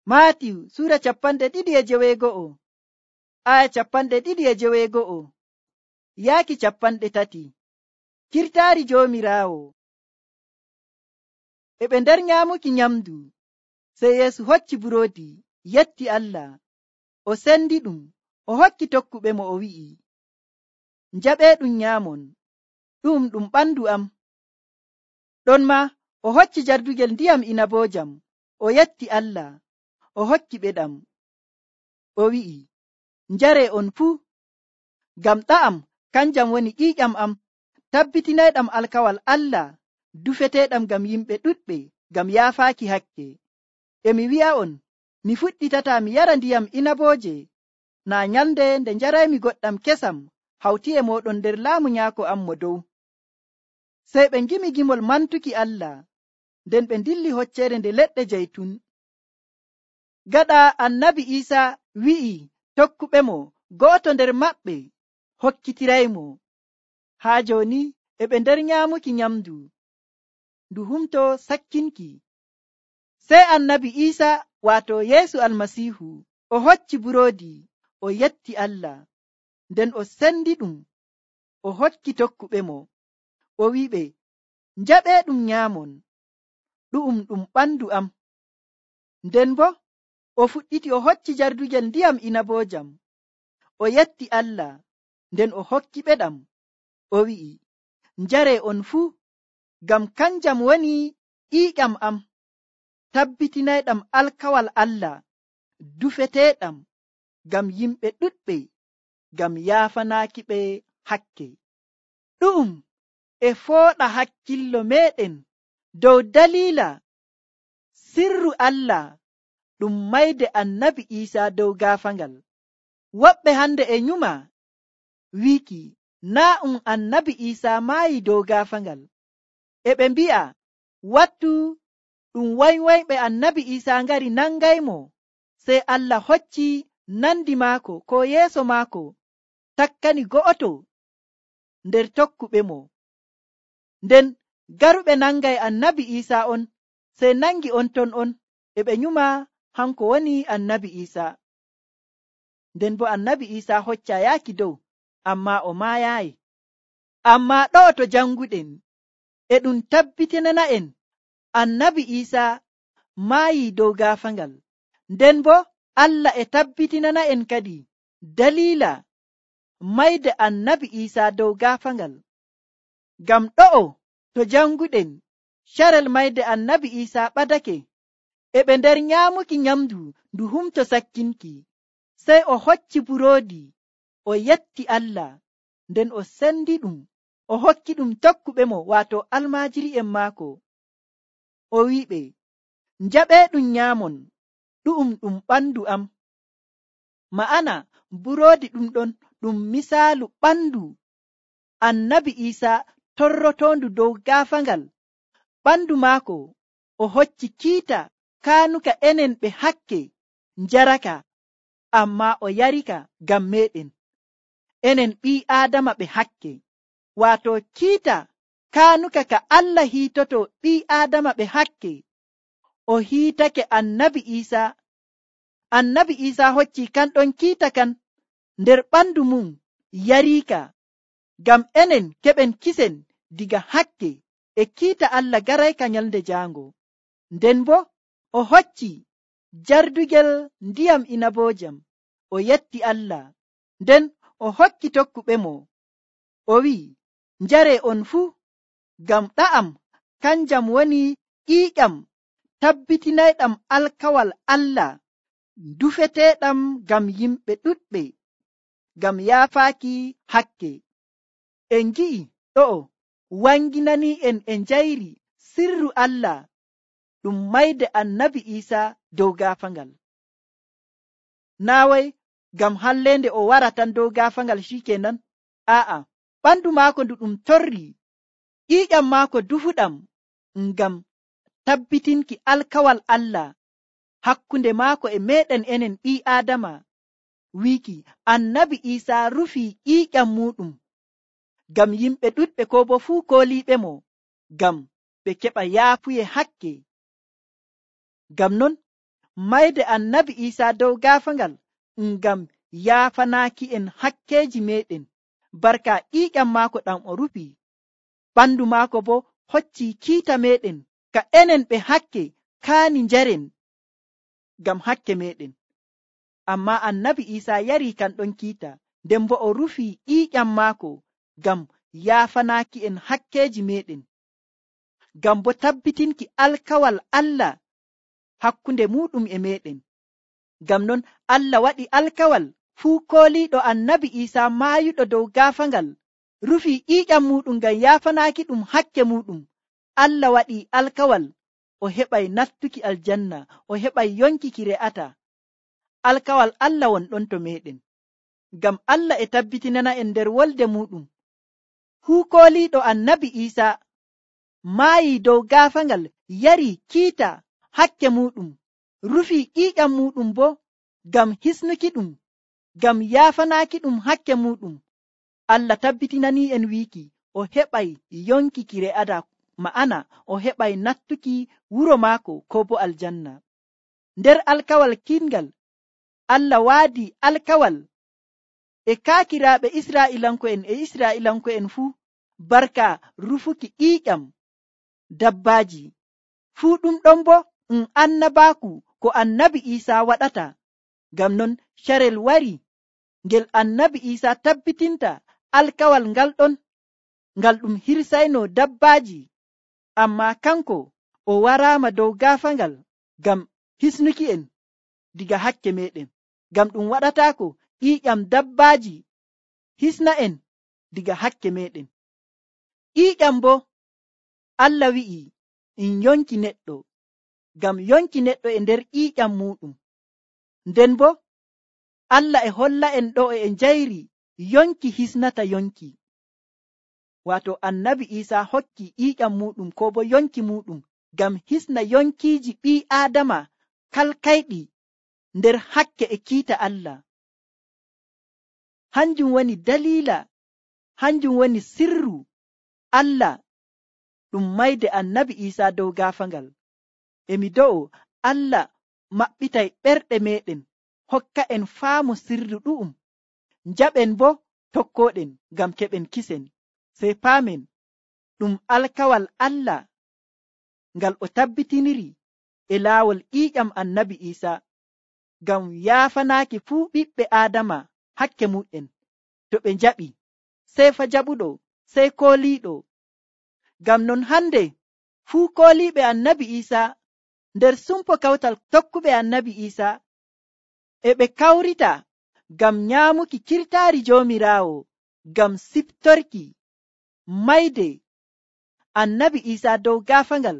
Maatiyu sura 2:2 aya 2:2 yaaki 3. Kirtaari Joomiraawo. E ɓe nder nyaamuki nyamdu, sey Yeesu hocci buroodi, yetti Allah, o sendi ɗum, o hokki tokkuɓe mo, o wi'i, njaɓeeɗum nyaamon, ɗum ɓandu am. Ɗon ma o hocci jardugel ndiyam inaboojam, o yetti Allah, o hokki ɓe ɗam, o wi'i, njaree on fuu, ngam ɗa'am kanjam woni ƴiiƴam am, tabbitinayɗam alkawal Allah, dufeteeɗam ngam yimɓe ɗuɗɓe, ngam yaafaaki hakke. E mi wi'a'on, mi fuɗɗitataa mi yara ndiyam inabooje naa nyalnde nde njaraymi goɗɗam kesam hawti e mooɗon nder laamu Nyaako am mo dow. Sey ɓe ngimi gimol mantuki Allah, nden ɓe ndilli hocceere nde leɗɗe jaytun. Gaɗa annabi Iisaa wi'i tokkuɓe mo, go'oto nder maɓɓe hokkitiraymo. Haa jooni e ɓe nder nyaamuki nyamdu, ndu humto sakkinki. Sey annabi Iisaa, waato Yeesu Almasiihu, o hocci buroodi, o yetti Allah, nden o sendi ɗum, o hokki tokkuɓe mo, o wi'iɓe, njaɓeeɗum nyaamon, ɗum ɓandu am. Nden bo o fuɗɗiti o hocci jardugel ndiyam inaboojam, o yetti Allah, nden o hokki ɓe ɗam, o wi'i, njaree on fuu, ngam kanjam woni ƴiiƴam am, tabbitinayɗam alkawal Allah, dufeteeɗam ngam yimɓe ɗuɗɓe, ngam yaafanaaki ɓe hakke. Ɗum e fooɗa hakkillo meeɗen dow daliila sirru Allah ɗum mayde annabi Iisaa dow gaafaangal. Woɓɓe hande e nyuma wiiki naa annabi Iisaa maayi dow gaafaangal. E ɓe mbi'a wattu ɗum waywoyɓe annabi Iisaa ngari nangaymo, sey Allah hocci nandi maako ko yeeso maako takkani go'oto nder tokkuɓe mo. Nden garuɓe nangay annabi Iisaa on, sey nangi on ton on, e ɓe nyuma hanko woni annabi Iisaa. Nden bo annabi Iisaa hocca yaaki dow, amma o maayaayi. Amma ɗo'o to janguɗen e ɗum tabbitinana'en annabi Iisaa maayi dow gaafaangal. Nden bo Allah e tabbitinana'en kadi daliila mayde annabi Iisaa dow gaafaangal. Ngam ɗo'o to janguɗen carel mayde annabi Iisaa ɓadake, e ɓe nder nyaamuki nyamdu ndu humto sakkinki, sey o hocci buroodi, o yetti Allah, nden o sendi ɗum, o hokki ɗum tokkuɓe mo, waato almaajiri'en maako, o wi'iɓe, njaɓeeɗum nyaamon, ɗum ɓandu am. Ma'ana buroodi ɗum ɗon ɗum misaalu ɓandu annabi Iisaa torrotoondu dow gaafaangal. Ɓandu maako o hocci kiita kaanuka enen ɓe hakke njaraka, amma o yarika ngam meɗen enen ɓii Aadama ɓe hakke. Waato kiita kaanuka ka Allah hiitoto ɓii Aadama ɓe hakke, o hiitake annabi Iisaa. Annabi Iisaa hocci kanɗon kiita kan nder ɓandu mum yariika, ngam enen keɓen kisen diga hakke e kiita Allah garayka nyalnde jaango. Nden bo o hocci jardugel ndiyam inaboojam, o yetti Allah, nden o hokki tokkuɓe mo, o wi'i, njaree on fuu, ngam ɗa'am kanjam woni ƴiiƴam tabbitinayɗam alkawal Allah, dufeteeɗam ngam yimɓe ɗuɗɓe, ngam yaafaaki hakke. En ngi'i ɗo'o wanginani en e njayri sirru Allah ɗum mayde annabi Iisaa dow gaafaangal. Naaway ngam hallende o wara tan dow gaafaangal shikenan, a'a, ɓandu maako ndu ɗum torri, ƴiiƴam maako dufuɗam, ngam tabbitinki alkawal Allah hakkunde maako e meɗen enen ɓii Aadama, wiiki annabi Iisaa rufi ƴiiƴam muɗum ngam yimɓe ɗuɗɓe ko bo fuu kooliiɓe mo, ngam ɓe keɓa yaafuye hakke. Ngam non mayde annabi Isa dow gaafangal ngam yaafanaaki en hakkeeji meɗen barka ƴiiƴam maako ɗam o rufi. Ɓandu maako bo hocci kiita meɗen ka enen ɓe hakke kaani njaren ngam hakke meɗen. Amma annabi Isa yari kan ɗon kiita, nden bo o rufi ƴiiƴam maako ngam yaafanaaki en hakkeeji meɗen, ngam bo tabbitinki alkawal Allah hakkunde muɗum e meɗen. Ngam non Allah waɗi alkawal fuu kooliiɗo annabi Isa maayuɗo dow gaafangal rufi ƴiiƴam muɗum ngam yaafanaaki ɗum hakke muɗum. Allah waɗi alkawal o heɓay nattuki aljanna, o heɓay yonkiki re'ata. Alkawal Allah won ɗon to meɗen, ngam Allah e tabbitinana en nder wolde muɗum fuu kooliiɗo annabi Isa maayi dow gaafangal yari kiita hakke muɗum, rufi ƴiiƴam muɗum bo ngam hisnuki ɗum, ngam yaafanaaki ɗum hakke muɗum. Allah tabbitinani en wiiki o heɓay yonkiki re'ada, ma'ana o heɓay nattuki wuro maako ko bo aljanna. Nder alkawal kingal Allah waadi alkawal e kaakiraaɓe Isra'ilanko'en fuu barka rufuki ƴiiƴam dabbaaji. Fuu ɗum ɗon bo annabaaku ko annabi Isa waɗata. Ngam non carel wari ngel annabi Isa tabbitinta alkawal ngal ɗon, ngal ɗum hirsayno dabbaaji. Amma kanko o waraama dow gaafangal ngam hisnuki en diga hakke meɗen, ngam ɗum waɗataako ƴiiƴam dabbaaji hisna en diga hakke meɗen. Ƴiiƴam bo Allah wi'i in yonki neɗɗo, ngam yonki neɗɗo e nder ƴiiƴam muɗum. Nden bo Allah e holla en ɗo e njayri yonki hisnata yonki. Wato annabi Isa hokki ƴiiƴam muɗum ko bo yonki muɗum ngam hisna yonkiiji ɓii Aadama kalkayɗi nder hakke e kiita Allah. Hanjum woni dalila, hanjum woni sirru Allah ɗum mayde annabi Isa dow gaafangal. Emi do'o Allah maɓɓitay ɓerɗe meɗen, hokka en faamu sirru ɗu'um, njaɓen bo tokkoɗen ngam keɓen kisen, sey paamen ɗum alkawal Allah ngal o tabbitiniri e laawol ƴiiƴam annabi Isa ngam yaafanaaki fuu ɓiɓɓe Aadama hakke muɗen. To ɓe njaɓi sey fa jaɓuɗo, sey kooliiɗo. Ngam non hande fuu kooliiɓe annabi Isa nder sumpo kawtal tokkuɓe annabi Isa e ɓe kawrita ngam nyaamuki kirtaari Joomiraawo, ngam siftorki mayde annabi Isa dow gaafangal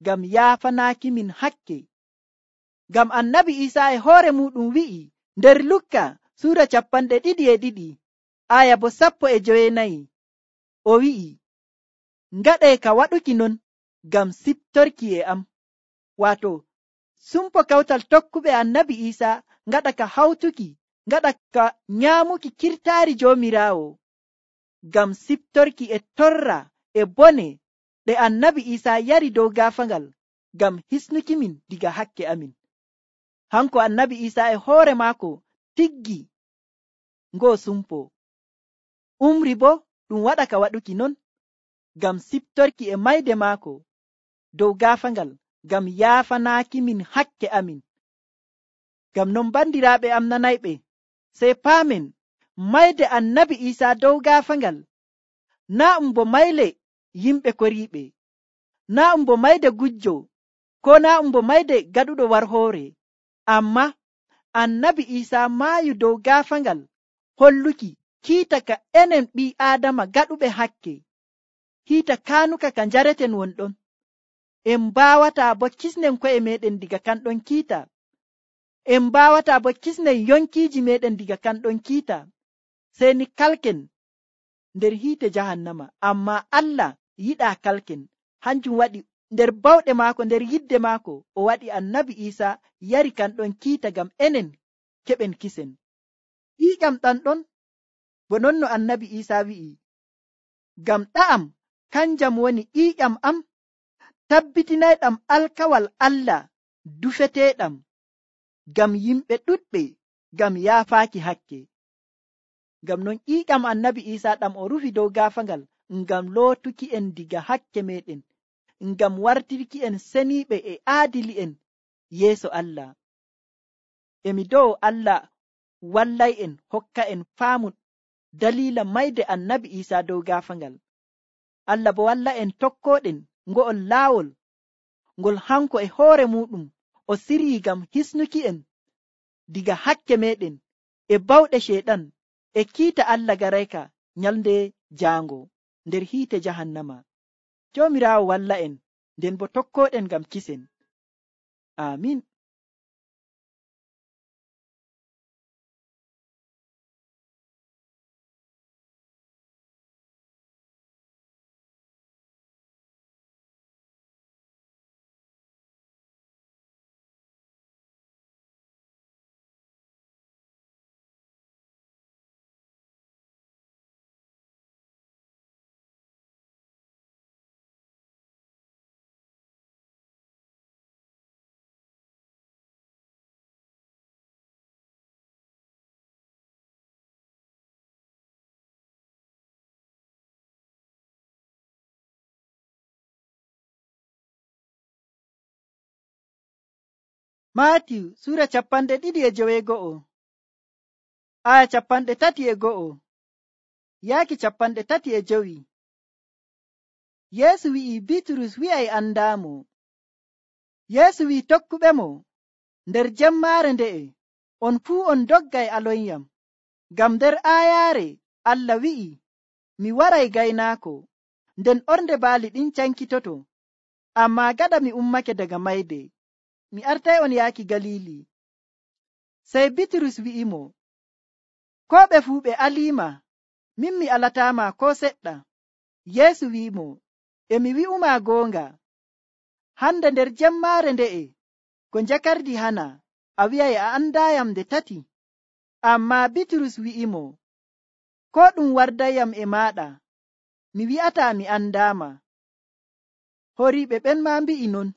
ngam yaafanaaki min hakke. Ngam annabi Isa e hoore muɗum wi'i nder Lukka suura 22 aya bo 14, o wi'i, ngaɗe ka waɗuki non ngam siftorki e am. Wato sumpo kawtal tokkuɓe annabi Isa ngaɗa ka hawtuki, ngaɗa ka nyaamuki kirtaari Joomiraawo ngam siftorki e torra e bone ɗe annabi Isa yari dow gaafangal ngam hisnuki min diga hakke amin. Hanko annabi Isa e hoore maako tiggi ngoo sumpo, umri bo ɗum waɗa ka waɗuki non ngam siftorki e mayde maako dow gaafangal ngam yaafanaaki min hakke amin. Ngam non bandiraaɓe am nanayɓe, sey paamen mayde annabi Isa dow gaafangal naa ɗum bo mayle yimɓe koriiɓe, naa ɗum bo mayde gujjo, ko naa ɗum bo mayde gaɗuɗo warhoore. Amma annabi Isa maayu dow gaafangal holluki kiita ka enen ɓii Aadama gaɗuɓe hakke, kiita kaanuka ka njareten wonɗon. En mbawataa bo kisnen ko'e meɗen diga kanɗon kiita, en mbawataa bo kisnen yonkiiji meɗen diga kanɗon kiita, sey ni kalken nder hiite jahannama. Amma Allah yiɗaa kalken, hanjum waɗi nder bawɗe maako, nder yidde maako, o waɗi annabi Isa yari kanɗon kiita ngam enen keɓen kisen. Ƴiiƴam ɗam ɗon bo non no annabi Isa wi'i, ngam ɗa'am kanjam woni ƴiiƴam am, tabbitinayɗam alkawal Allah dufeteeɗam. ngam yimɓe ɗuɗɓe ngam yaafaaki hakke. Ngam non ƴiiƴam annabi Iisaa ɗam o rufi dow gaafaangal ngam lootuki en diga hakke meɗen, ngam wartirki en seniiɓe e aadili'en yeeso Allah. Emi dow Allah wallay en hokka en faamu daliila mayde annabi Iisaa dow gaafaangal. Allah bo walla en tokkoɗen ngo'ol laawol ngol hanko e hoore muɗum o sirii ngam hisnuki en diga hakke meɗen e bawɗe sheeɗan e kiita Allah garayka nyalnde jaango nder hiite jahannama. Joomiraawo walla en, nden bo tokkoɗen ngam kisen. Amin. Maatiyu Sura 22 aya 31 yaaki 32. Yeesu wi'i Bitrus wi'ay andaamo. Yeesu wi'i tokkuɓemo, nder jemmaare nde'e on fuu on doggay alonyam, ngam nder aayaare Allah wi'i, mi waray gaynaako, nden ornde baali ɗin cankitoto. Ammaa gaɗa mi ummake daga mayde, mi artay on yaaki Galili. Sey Bitrus wi'imo, koo ɓe fuu ɓe aliima, min mi alataama ko seɗɗa. Yeesu wi'imo, emi wi'umaa goonga, hande nder jemmaare nde'e ko njakardi hana a wi'ay a andaayam nde tati. Ammaa Bitrus wi'imo, koo ɗum wardayyam e maaɗa, mi wi'ataa mi andaama. Horiiɓe ɓen maa mbi'i non.